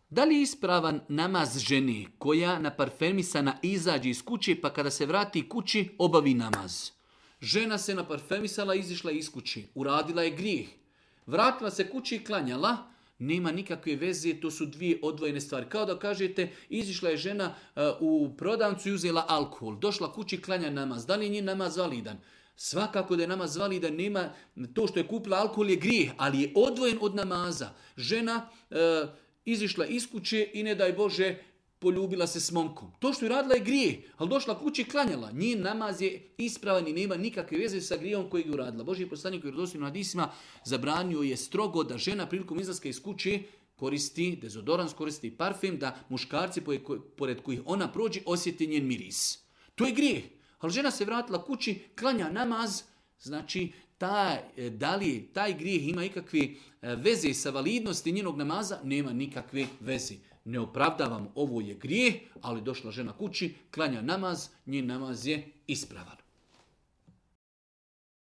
Da li je ispravan namaz žene koja naparfemisana izađe iz kuće pa kada se vrati kući obavi namaz? Žena se naparfemisala, izišla iz kući, uradila je grijeh. Vratila se kući i klanjala, nema nikakve veze, to su dvije odvojene stvari. Kao da kažete, izišla je žena u prodavnicu i uzela alkohol, došla kući i klanja namaz. Da li je njen namaz validan? Svakako da je namaz validan, nema, to što je kupila alkohol je grijeh, ali je odvojen od namaza. Žena izišla iz kuće i ne daj Bože poljubila se s momkom. To što je radila je grijeh, ali došla kući i klanjala. Njen namaz je ispravan i nema nikakve veze sa grijehom koji je uradila. Božji poslanik u vjerodostojnim hadisima zabranio je strogo da žena prilikom izlaska iz kuće koristi dezodorans, koristi parfem, da muškarci pored kojih ona prođe osjeti njen miris. To je grijeh. Ali žena se vratila kući, klanja namaz, znači da li taj grijeh ima ikakve veze sa validnosti njenog namaza, nema nikakve veze. Ne opravdavam, ovo je grijeh, ali došla žena kući, klanja namaz, njen namaz je ispravan.